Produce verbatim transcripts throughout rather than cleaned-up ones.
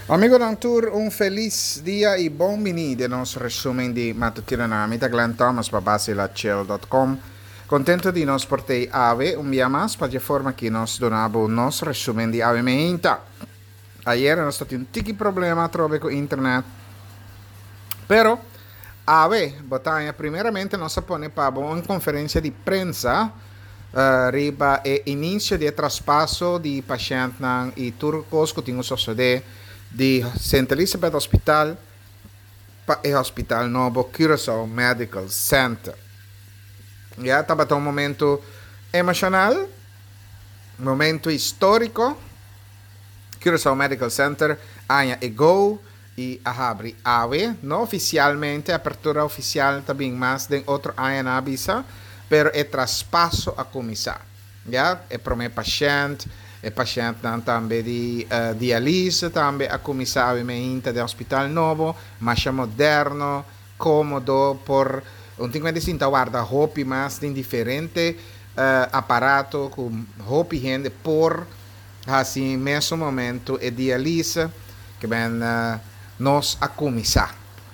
Amigonan tur, un felis dia i bon bini den nos resumen di matutinonan. Mi ta Glenn Thomas pa basilachel dot com. Contento di nos por tei awe un bia mas pa dje forma ki nos duna bo nos resumen di awe meinta. Ayera nos ta tin un tiki problema atrobe ku internet. Pero awe bo ta haña primeramente nos a pone pa bo un conferencia di prensa riba e inicio di e traspaso di pashentnan y tur cos cu tin cu sosode di Sint Elisabeth Hospital pa e hospital nobo Curaçao Medical Center. Ya tabata un momento emocional, momento historico. Curaçao Medical Center aña e go y a habri awe, no oficialmente, apertura oficial ta bin mas den otro aña nan a bisa, pero e traspaso a cuminsa. Ya, e prome pashent, e pashentnan tambe di dialyse tambe a cuminsa awe meinta den hospital nobo, masha moderno, comodo, por un tin cuenta sinta warda hopi mas den diferente aparato cu hopi hende por haci mesun momento e dialyse ke ben nos a cuminsa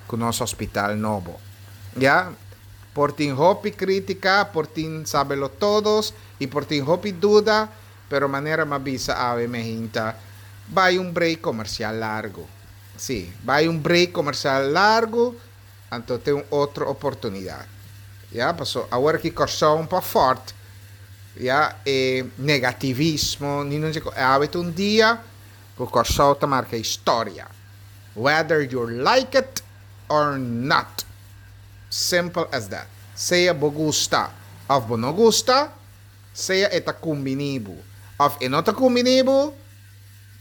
cu nos hospital nobo. Ya, por tin hopi critica, por tin sabelo todos y por tin hopi duda, pero manera m'a bisa awe me hinta, bay un break comercial largo. Si, bay un break comercial largo, anto te un otro oportunidad. Ya, paso awor aki Kòrsou un pa fort, ya, e negativismo, ni no dje, awe ta un dia ku Kòrsou ta marka historia. Whether you like it or not. Simple as that. Sea bo gusta of bo no gusta, sea e ta kumbiní bo of e no ta kumbiní bo,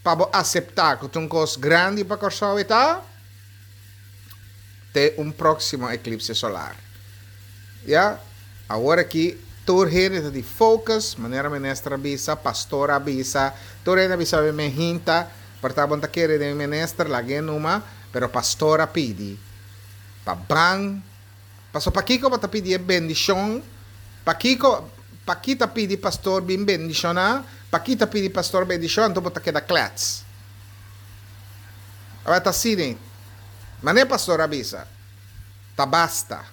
pa bo aseptá ku ta un kos grandi pa Kòrsou e ta, te un próksimo eklipse solar. Ya, awor aki tur hende ta di focus, manera minister a bisa, pastor a bisa, tur hende a bisa mi me hinta, por ta bon ta kere den minister, lag'é numa, pero pastor a pidi pa ban, paso pakiko bo ta pidi e bendishon, pakiko, paki ta pidi pastor bin bendishoná, paki ta pidi pastor bendishon, anto bo ta keda klets. Awor ta asina, manera pastor a bisa, ta basta.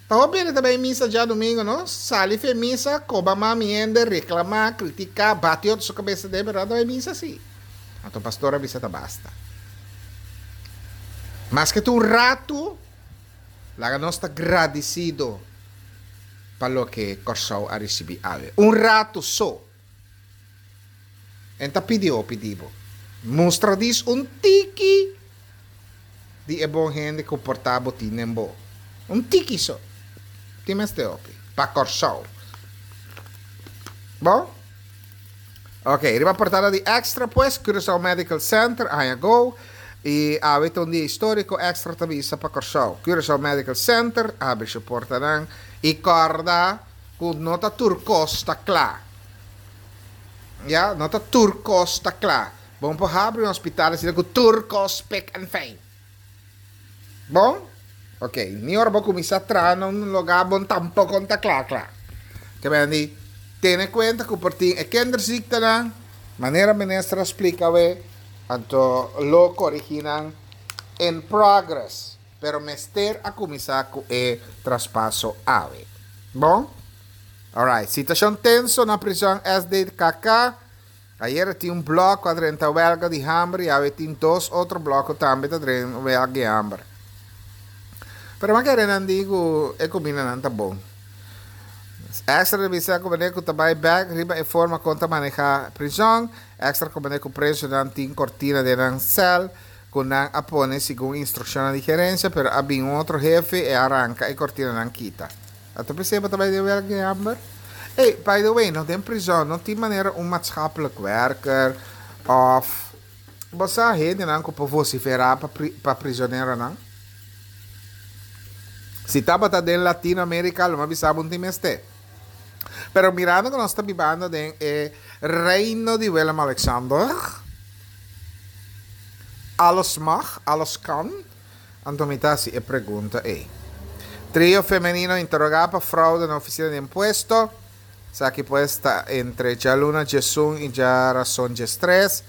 Ta hopi hende ta bai misa djadumingu, no? Sali fe misa, koba mami hende, reklamá, kritiká, bati otro su kabesa den, pero nan ta bai misa si. Anto pastor a bisa ta basta. Maske ta un ratu, laga nos ta gradisido pa loke Kòrsou a risibí awe. Un ratu so. En ta pidi hopi di bo. Mustra dis un tiki di e bon hende ku por ta bo tin den bo. Un tiki so. Tin mester hopi. Pa Kòrsou. Bon? Ok, riba portada di Extra pues, Curaçao Medical Center a haña go y awe ta un dia historico, Extra ta bisa pa Kòrsou. Curaçao Medical Center a habri su portanan y kòrda ku no ta tur kos ta kla. Ya, no ta tur kos ta kla. Bo no por habri un hospital asina ku tur kos spik en fijn. Bon? Ok, ni ora bo kuminsá traha na un lugá bon tampoko no ta kla kla. Ke men di, tene kuenta ku por tin e kinderziektenan, manera minister a splika awe, anto lo korigí nan in progress, pero mester a kuminsá ku e traspaso awe. Bon? Alright, situashon tenso na prizòn S D K K. Ayer tin un blòk ku a drenta wèlga di hamber i awe tin dos otro blòk ku tambe ta drenta wèlga di hamber. Pero mi a kere nan di ku e kumindanan ta bon. Extra ta bisa ku manera ku ta bai bèk riba e forma kon ta manehá prizòn. Extra ku manera ku presonan tin kortina den nan sèl ku nan a pone segun instrukshonnan di gerensia, pero a bin un otro hefe i a ranka e kortinanan kita. A ta p'esei bo ta bai den wèlga di hamber? Ey, by the way, no den prizòn no tin manera un maatschappelijk werker òf bo sa hendenan ku por vosiferá pa pa prizoneronan? Si tabata den Latinoamérica lo mi a bisa bo un tin mester. Pero mirando ku nos ta bibando den e reino di Willem Alexander, alles mag, alles kan, anto mi ta hasi e pregunta ei. Trio femenino interogá pa fraude na ofisina di impuesto. Esaki pues ta entre djaluna djesun i djarason djestres.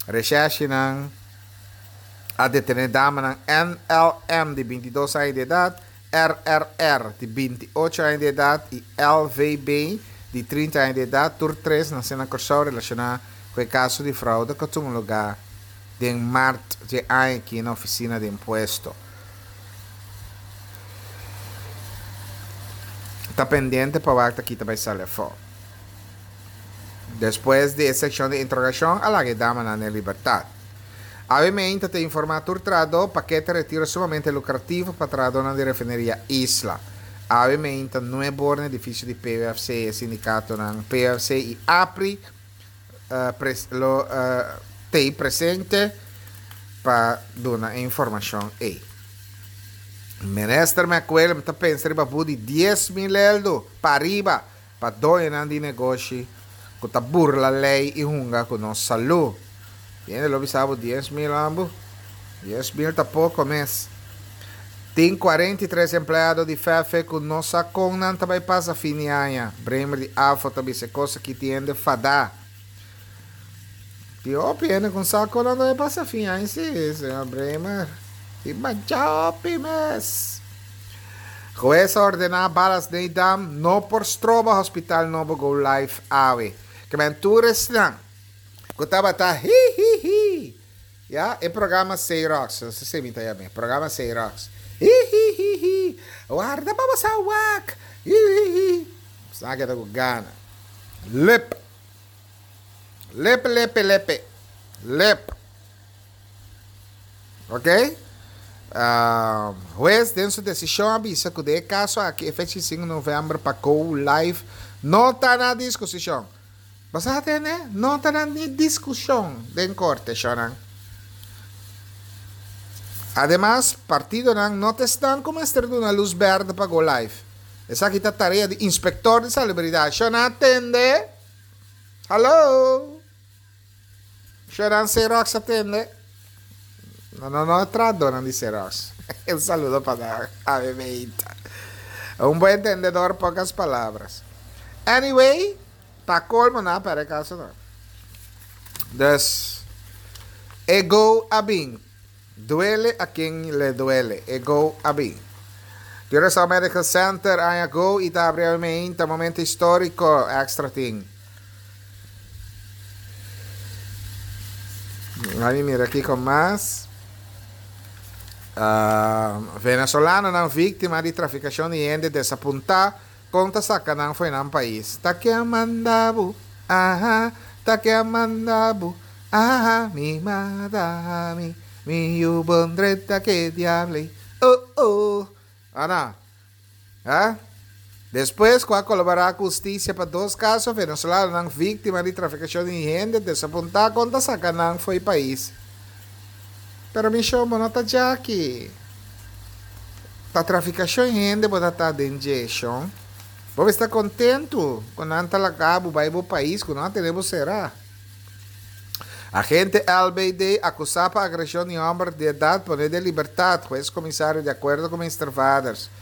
Reshèrshinan A detené damanan N L M di binti dos aña di edat, R R R di binti ocho aña di edat i L V B di trinta aña di edat, tur tres nasé na Kòrsou, relashoná ku e kaso di froude ku a tuma lugá den mart di aña aki na ofisina di impuesto. Ta pendiente pa wak ta kita bai sali afó. Despues di e sekshon di interogashon a laga e damanan den libertat. Awe mainta ta informá tur trahadó pakete retiro sumamente lukrativo pa trahadónan di Refineria Isla. Awe mainta nuebe or na edifisio di P U F C e sindikatonan P U F C i APRI lo t'ei presente pa duna e informashon ei. Minister McWilliam ta pensa riba but di dies mil eldo pariba pa doñonan di negoshi ku ta burla lei i hunga ku nos salú. Hende lo bisa bo dies mil ambu. Dies mil ta poko mes. Tin kuarenta i tres empleado di F E F ku no sa kon nan ta bai pasa fin di aña. Bremer di ABVO ta bisa kos aki tin hende fadá. Tin hopi hende ku sa kon nan ta bai pasa fin aña si, señor Bremer. Tin masha hopi mes. Hues a ordená Ballast Nedam no por stroba hospital nobo go live awe. Ke men tur esnan ku tabata hi hi hi. Ya, e programa Xerox, no sé si mi ta yam'é, programa Xerox. Hi hi hi hi. Warda pa bo sa wak. Hi hi hi. Sa keda ku gana. Lep. Lep lepe lepe. Lep. Ok? Uh, hues den su desishon a bisa ku den e kaso aki e fecha sinku novèmber pa go live no ta na disposishon. Bo sa tende? No ta na ni diskushon den korte, shonnan. Ademas, partidonan no ta esnan ku mester duna lus bèrdè pa go live. Esaki ta tarea di inspektor di salubridat. Shonnan tende? Hallo? Shonnan Xerox a tende? No, no, no, trahadónan di Xerox. Un saludo pa nan. Ave meita. Un buen entendedor, pocas palabras. Anyway, pa colmo na para caso no. Dus, e go a bin. Duele a quien le duele. E go a bin. Curaçao Medical Center, aña go i ta habri mainta, momento históriko, Extra tin. Laga mira kiko mas. Uh, venezolanonan víktima di trafikashon di hende desapuntá kon ta saka nan fo'i nan pais. Ta ken a manda bo, aha, ta ken a manda bo, aha, mi mata mi, mi yu bon drenta ke diable, oh oh. Ana, ha? Despues ku a kolaborá ku hustisia pa dos kaso, venezolanonan víktima di trafikashon di hende desapuntá kon ta saka nan fo'i pais. Pero mi shon, bo no ta djaki. Ta trafikashon di hende bo ta ta den dje, shon. Bo mester ta kontentu ku nan ta laga bo bai bo pais ku nan a tene bo será. Agente L B D akusá pa agreshon di hòmber di edat pone den libertat, hues komisario di akuerdo ku minister Vaders.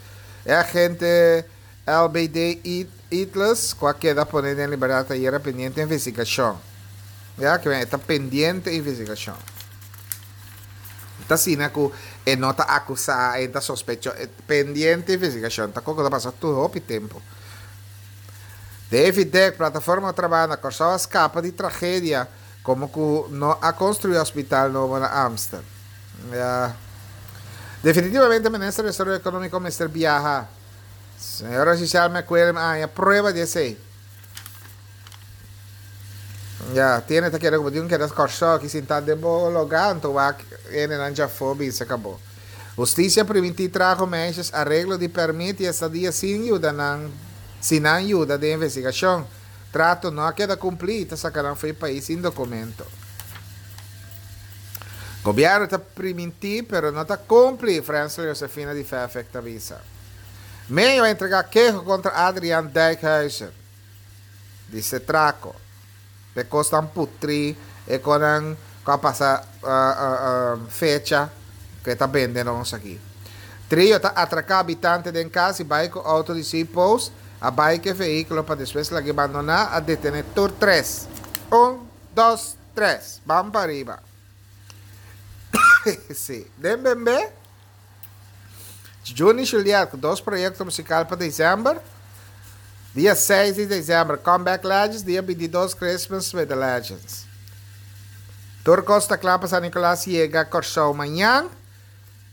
E agente L B D Itles ku a keda pone den libertat ayera pendiente investigashon. Ya, ku ta pendiente investigashon. Ta asina ku e no ta akusá, e ta sospecho, pendiente investigashon. Ta koko ta pasa tur hopi tempu. David Deck, Plataforma Trabou na Kòrsou a skapa di tragedia komo ku no a konstruí hospital nobo na Amsterdam. Ja. Definitivamente minister di Desaroyo Ekonómiko mester biaha. Señora Giselle McWilliam a prueba di esei. Ja, tiene ta kere como di un keda Kòrsou ki sintá den bo lugá, anto wak hendenan djafó bisa kabo. Hustisia primintí trago meisjes areglo di pèrmit i estadia sin yuda nan sin nan yuda den investigashon. Trato no a keda kumplí, ta saka nan fo'i pais sin dokumento. Gobièrnu ta primintí, pero no ta kumpli, Frensel Josefina di F E F ta bisa. Meio a entregá keho kontra Adriaan Dijkhuizen. Di Setraco. E kosnan putri, e kosnan ku a pasa uh, uh, uh, fecha ku ta bende nos aki. Trio ta atraká habitante den kas i bai ku outo di C-Post, a bai ku vehíkulo pa despues lag'é bandoná, a detené tur tres. Un, dos, tres. Ban pariba. Sí. Den bembe. Juni Juliet, ku dos proyekto musikal pa desèmber. Dia seis di desèmber, Comeback Legends. Dia bintidos, Christmas with the Legends. Tur kos ta kla pa San Nicolas yega Kòrsou mañan.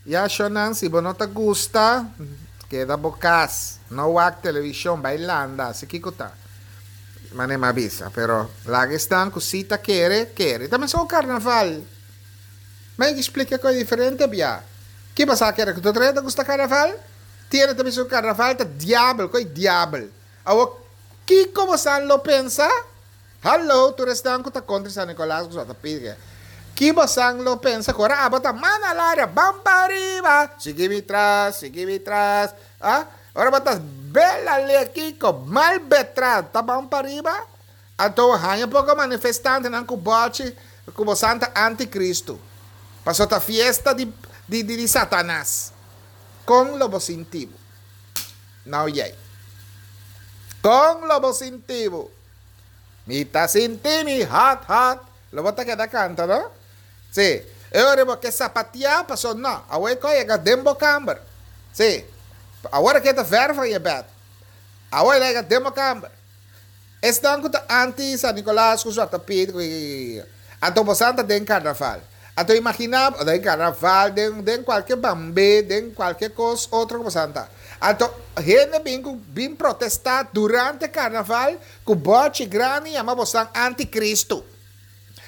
Ya shonan, si bo no ta gusta, keda bo kas. No wak televishon, bai landa, si kiko ta. Mane m'a bisa, pero laga esnan ku si ta kere, kere. Ta mesun karnaval. Mi a splika ku diferente bia. Ki pasa kere ku tur hende ta gusta karnaval? Tin hende ta bisa ku karnaval ta diabel, koi diabel. Awor kiko bosan lo pensa? Hallo, tur esnan ku ta kontra San Nicolas ku ta pidi. Ki bosan lo pensa ku ora abo ta mana laria, ban pa riba, sigui mi tras, sigui mi tras. Ah? Ora bo ta bela le kiko, mal betra, ta ban pa riba? Anto haña poko manifestantenan ku bòchi ku bosan ta antikristu. Paso ta fiesta di di di Satanas. Kon lo bo sinti bo? Now yei. Kon lo bo sinti bo? Mi ta sinti mi hot hot. Lo bo ta keda kanta no? Si. E ora bo ke sapatia paso no. Awor e ko yega den bo kamber. Si. Awor ke ta ver van je bed. Awor e yega den bo kamber. Esnan ku ta anti San Nicolas ku Zwarte Piet ku anto bosan ta den karnaval. Anto imaginá bo den karnaval den den kualke bambe den kualke kos otro ku bosan ta. Anto hende bin ku bin protestá durante karnaval ku bòchi grandi yama bosan antikristu.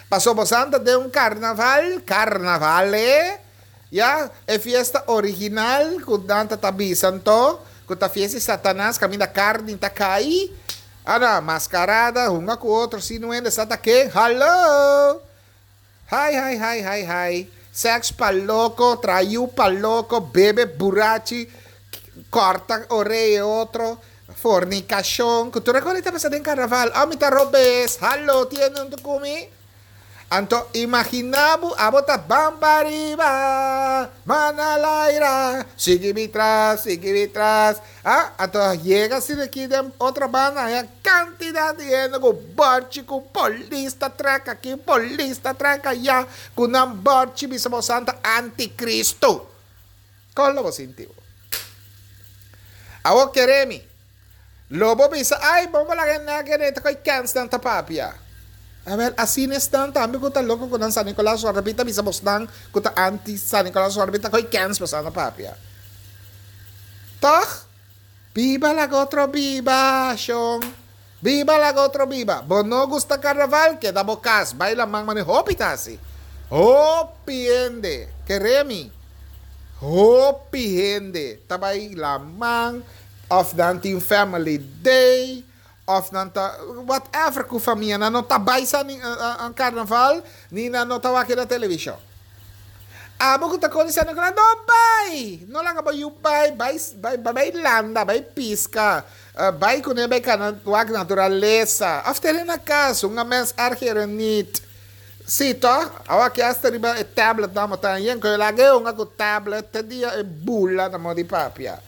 Paso bosan ta den un karnaval, karnavale, ya, e fiesta original ku nan ta ta bisa anto ku ta fiesta di Satanas kaminda karni ta kai. Ana, mascarada, hunga cu otro, si no hende sa ta ken, hallo! Hai, hai, hai, hai, hai, sex pa loco, trayu pa loco, bebe burachi, corta orea e otro, fornicacion, cu tur e cos ta pasa den carnaval, oh mi ta robes, hallo, tiene un cu mi? Anto imagina bo abo ta ban pariba, man al aira, sigui mi tras, sigui mi tras. Ah, anto yega asina aki den otro banda haña kantidat di hende ku bòrchi ku polis ta trèk aki, polis ta trèk aya, ku nan bòrchi bisa bo santa antikristu. Kon lo bo sinti bo? Awor kere mi. Lo bo bisa, Ay, bo laga e nèk e ta koe kèns nan ta papia. Awèl, asina esnan tambe ku ta loko ku nan San Nicolas Wardapit ta bisa bosnan ku ta anti San Nicolas Wardapit ta koe kèns bosan ta papia. Tòg? Biba laga otro biba, shon. Biba laga otro biba. Bo no gusta karnaval? Keda bo kas. Bai laman manera hopi ta hasi. Hopi hende, kere mi, hopi hende ta bai laman of nan tin family day of nan ta whatever ku famia nan no ta bai sa karnaval ni nan no ta wak na televishon. Abo ku ta koni San Nicolas no bai! No laga bo yu bai, bai bai bai landa, bai piska, bai kuné bai kana wak naturalesa of tene na kas un mens ergeren niet. Sí, tòg? Awa ki asta riba e tablet nan bo ta yen ku e laga e hunga ku tablet te dia e bula na mo di papia.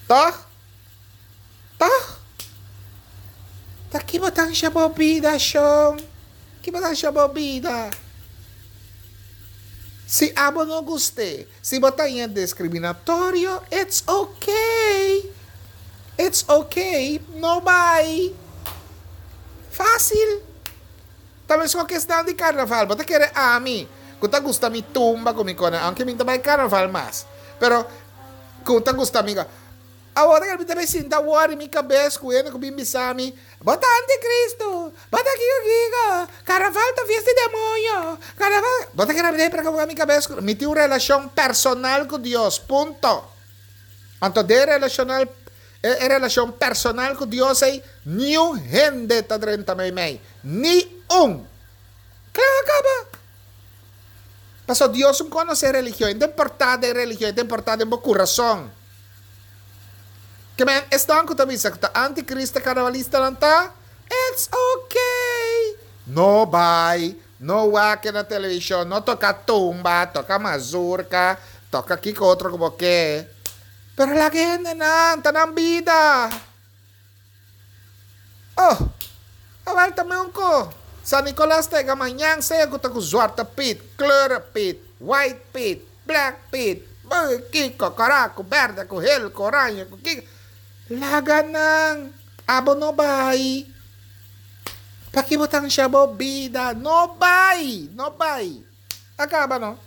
Tòg? Tòg? Ta ki bo ta ansha bo bida, shon? Ki bo ta ansha bo bida? Si abo no gust'é, si bo ta yen discriminatorio, it's okay. It's okay, no bai. Fácil. Ta meskos ku esnan di karnaval. Bo ta kere ami ku ta gusta mi tumba ku mi kone, aunke mi no ta bai karnaval mas, pero ku ta gusta mi. Awor ta kere mi ta bai sinta wòri mi kabes ku hende ku bin bisa mi, Bo ta antikristu, bo ta kiko kiko, karnaval ta fiesta di demoño, karnaval. Bo ta kere ami ta bai preokupa mi kabes ku. Mi tin un relashon personal ku Dios, punto. Anto den relashonal E relashon personal ku Dios ei, niun hende ta drenta meimei. Ni un! Kla a kaba. Pasobra Dios un konosé religion. E no ta importá den religion, e ta importá den bo kurason. Ke men esnan ku ta bisa ku ta antikrist, karnavalistanan ta? It's okay! No bai, no wak na televishon, no toka tumba, toka mazurka, toka kiko otro ku bo ke. Pero laga e hendenan ta nan bida. Oh, awel ta meun ko. San Nicolas ta yega mañan sea ku ta ku Zwarte Piet, Kleuren Piet, White Piet, Black Piet, kiko, kòrá ku bèrdè, ku hel, ku oranje, ku kiko. Laga nan, abo no bai. Pakiko bo ta ansha bo bida? No bai, no bai. A kaba no.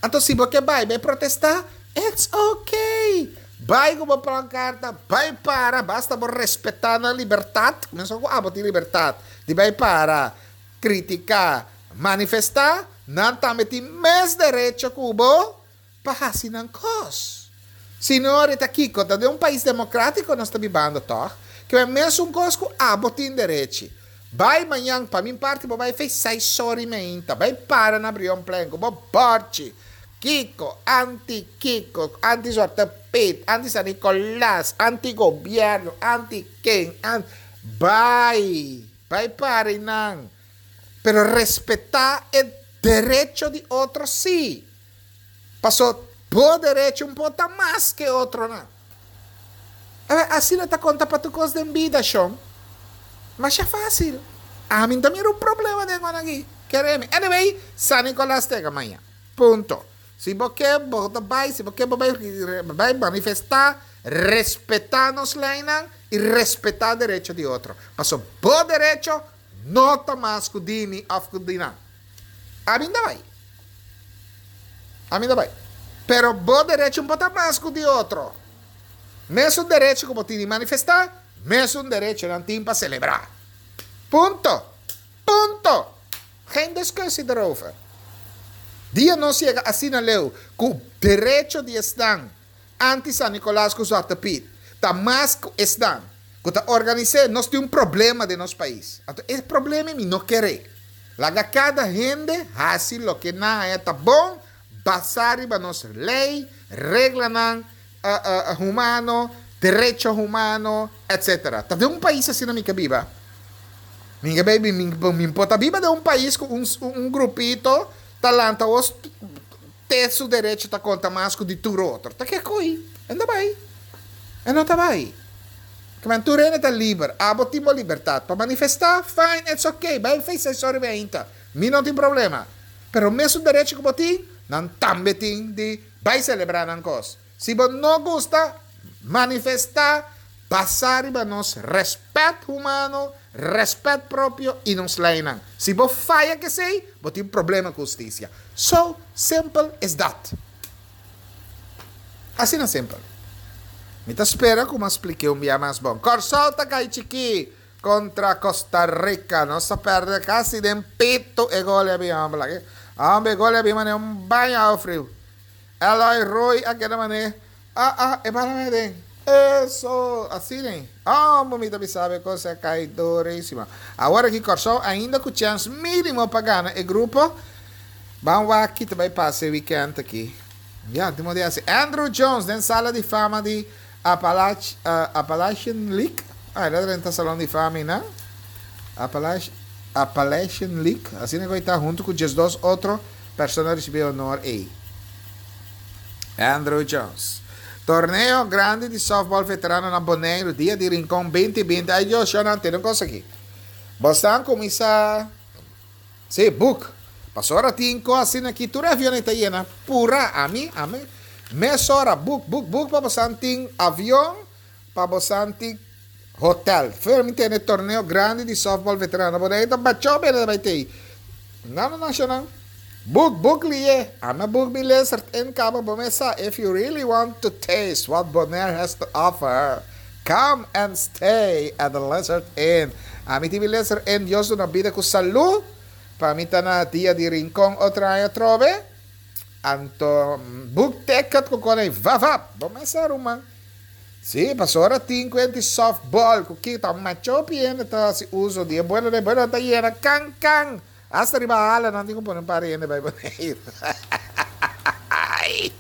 Anto si bo ke bai, bai protestá, it's okay. Bai ku bo pankarta, bai para, basta bo respetá nan libertat, mesun ku abo tin libertat di bai para, kritiká, manifestá, nan tambe tin mes derecho ku bo pa hasi nan kos. Si no, ta kiko, ta den un pais demokrátiko nos ta bibando, toch? Ku e mesun kos ku abo tin derecho. Bai mañan, pa mi parti, bai fei seis or i meinta, bai para na Brionplein, bo bòrchi, kiko, anti kiko, anti Zwarte Piet, anti San Nicolas, anti gobièrnu, anti ken, anti. Bai, bai para nan. Pero respetá e derecho di otro sí. Pasó bo derecho un poko mas ku otro no. Asina ta konta pa tur kos den bida, shon. Mas ta fásil. Ami tambe un problema den aki. Kere mi. Anyway, San Nicolas ta mañan. Punto. Si bo ke bai, si bo ke bai, bai manifestá, respetá nos leinan i respetá derecho di otro. Pasó bo derecho no ta mas ku di mi òf ku di nan. Ami no bai. Ami no bai. Pero bo derecho no ta mas ku di otro. Mesun derecho ku bo tin di manifestá, mesun derecho nan tin pa selebrá. Punto. Punto. Geen discussie erover. Dia nos yega asina leu, ku derecho di esnan anti San Nicolas ku Zwarte Piet, ta mas ku esnan, ku ta organisá, nos tin un problema den nos pais. Anto, e problema mi no ke. Laga kada hende hasi loke nan ta bon, basá riba nos lei, reglanan uh, uh, humano, derecho humano, et cetera. Ta den un pais asina mi ke biba. Mi ke biba, mi por ta biba den un pais ku un, un grupito ta lanta os te su derecho ta konta mas ku di tur otro. Ta ki kos? E no bai. E no ta bai. Ku men tur ta liber. Abo tin libertat pa manifestá, fine, it's okay. Bai fei seis or i meinta. Mi no tin problema. Pero mesun derecho ku bo tin, nan tambe tin di bai selebrá nan kos. Si bo no gusta, manifestá, basá riba nos rèspèt humano, rèspèt propio i nos leinan. Si bo faya ku esei, bo tin problema ku hustisia. So simple as that. Asina simpel. Mi ta spera ku m'a splika un biaha mas bon. Kòrsou ta kai chikí kontra Costa Rica. Nos a pèrdè kasi den pito e gol a bin. Ah, gol a bin un baño friu. Eloy Roy aki na mané. Ah, ah, e para den. Eso, asina, ne? Ah, mi tambe sabe kos a kai durísimo. Awor aki Kòrsou ainda ku chèns mínimo pa gana e grupo. Ban aki tambe pasa weekend aki. Ja, tin dia asina. Andruw Jones, den sala di fama di Appalach, uh, Appalachian League. Ah, el a drenta salon di fama, no? Appalach, Appalachian League. Asina ku ta huntu ku diesdos otro persona a risibí honor ei. Andruw Jones. Torneo grandi di softball veterano na Boneiru, Dia di Rincon dos mil binti. Ai, Dios, no tin un kos aki. Bo a kuminsá. Sí, book. Pasó ora tin asina aki, tur avion ta yena. Pura, ami, ami. Mesora, book, book, book pa bo tin avion, pa bo tin hotel. Fermi tin torneo grandi di softball veterano. Boneiru, ta bachó bene bai tin. No, no, no, no. Book, book lihé. Ami a book mi Lizard Inn kaba bo mesa. If you really want to taste what Bonaire has to offer, come and stay at the Lizard Inn. Ami tin Lizard Inn, Dios duna bida ku salú. Pa mi ta na Dia di Rincon otro aña trobe. Anto, book ticket ku kone vavap. Bo mesa ruman. Sí, pasó ora tin kuenta softball, ku kita macho piene ta hasi uso di bueno de bueno ta yena kan kan. Hasta riba ala nan tin ku pone un par hende bai Boneiru. Ai,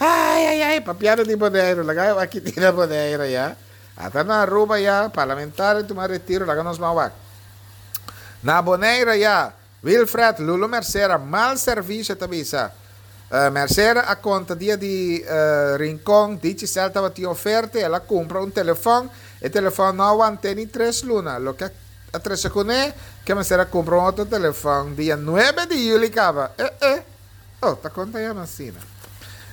ai, ai, ai, papiando di Boneiru, laga aki tin Boneiru ya. Ata na Aruba ya, parlamentario tuma retiro, laga nos ban wak. Na Boneiru ya, Wilfred Lulu Mercera, mal servisio ta bisa. Uh, Mercera a konta Dia di uh, Rincon, Digicel tabatin oferta, el a kumpra un telefòn, e telefòn no a wanta ni tres luna, loke a trese kuné, ku Mercera a kumpra un otro telefòn, dia nuebe di yüli kaba. Eh, eh. Oh, ta konta ya asina.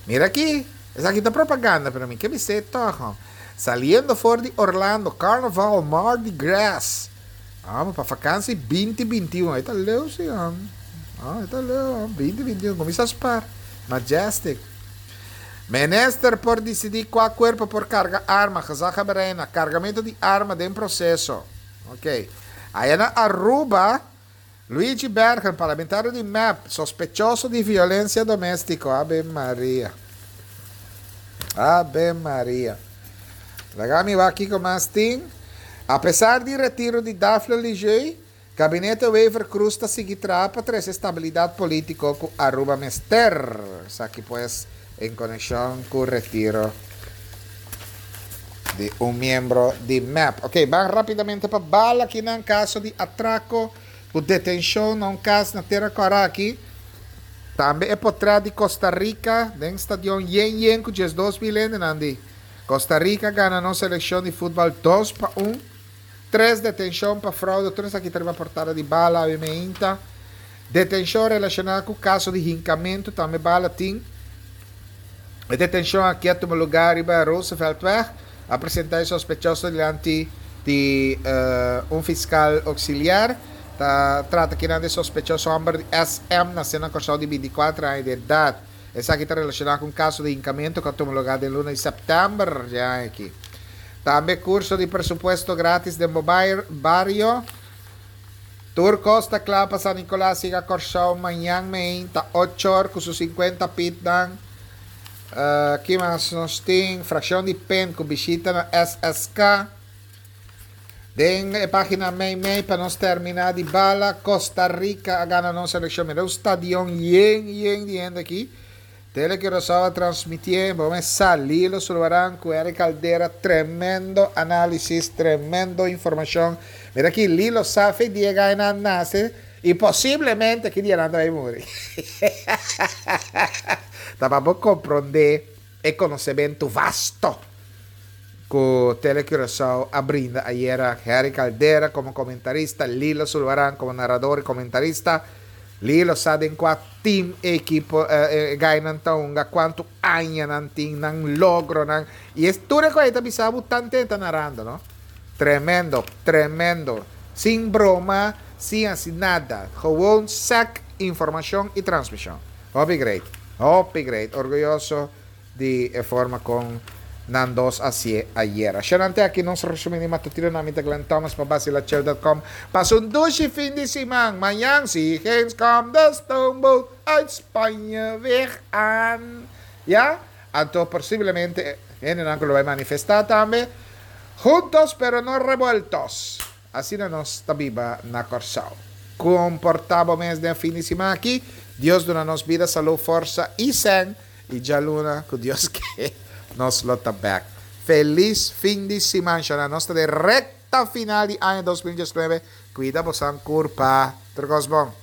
Mira aki, esaki ta propaganda, pero mi ke bisa toch. Saliendo for di Orlando, Carnival, Mardi Gras. Ah, pa vakantie binti binti un. Ei ta leuk, si. Ah, ta leuk. binti binti un. Kuminsá spar. Majestic. Minister por disidí kua kuerpo por karga arma. Gezaghebber Rijna. Kargamentu di arma den proseso. Ok. Ei na Aruba, Luigi Berger, parlamentario di M E P, sospechoso di violensia doméstiko. Ave Maria. Ave Maria. Laga mi aki ku mas tin. Apesar di retiro di Daphne Lejuez, gabinete Wever Croes ta sigui traha pa trese estabilidat polítiko ku Aruba mester. Aki pues en konekshon ku retiro di un miembro di M E P. Ok, ban rápidamente pa Bala aki den kaso di atrako ku detenshon na un kas na Tera Kòrá aki. Tambe e portrèt di Costa Rica, den stadion yen yen ku diesdos mil hende. Costa Rica gana nos selekshon di futbòl dos pa un. Tres detenshon pa froude. Tur aki tin portada di Bala mainta. Detenshon relashoná ku kaso di hinkamentu, tambe Bala tin. E detenshon aki a tuma lugá riba Rooseveltweg. A presentá e sospechoso dilanti di uh, un fiskal ouksiliar. Ta trata aki di sospechoso hòmber di S M nasé na Kòrsou di binti kuater aña di edat. Esaki ta relashoná ku un kaso di hinkamentu ku a tuma lugá den luna di sèptèmber ya aki. Tambe kurso di presupuesto gratis den bario. Tur kos ta kla pa San Nicolas yega Kòrsou mañan mainta ocho or ku su sinkuenta pitnan. Uh, ki mas nos tin? Frakshon di P E N ku bishita na S S K. Den e página mei mei pa nos terminá di Bala, Costa Rica a gana nos selekshon. Mira un stadion yen yen di hende aki. Tele Curaçao a transmití, ban sali Sulvaran ku Eric Caldera, tremendo análisis, tremendo informashon. Mira aki, Lilo sa dia ku el a nase i posiblemente ki dia nan ta bai muri. Ta pa komprondé e konosementu vasto ku Tele Curaçao a brinda ayera. Harry Caldera komo komentarista, Lilo Sulvaran komo narador i komentarista. Lilo sa den kua team ekipo eh, eh, gainan ta hunga, kuantu aña nan tin, nan logro nan i e tur ku ta bisa bo tantu ta narando, no? Tremendo, tremendo. Sin broma, sin asina nada. Gewoon sec informashon i transmishon. Hopi great. Hopi great. Orguyoso di forma kon nan dos a hasié ayera. Shanante aki nos resumen di matutino na mi ta Glenn Thomas pa basilachel punto com. Pasa un dushi fin di siman. Mañan si eens komt de stoomboot uit Spanje weer aan. Ja? Anto posiblemente hende lo bai manifestá tambe. Juntos pero no revueltos. Asina nos ta biba na Kòrsou. Komportá bo mes den fin di siman aki. Dios duna nos bida, salú, forsa i sèn. I djaluna, ku Dios ke, nos lo ta back. Felis fin di siman. Nos ta den rekta final di aña dos mil diesnuebe. Kuida bo kurpa. Tur bon.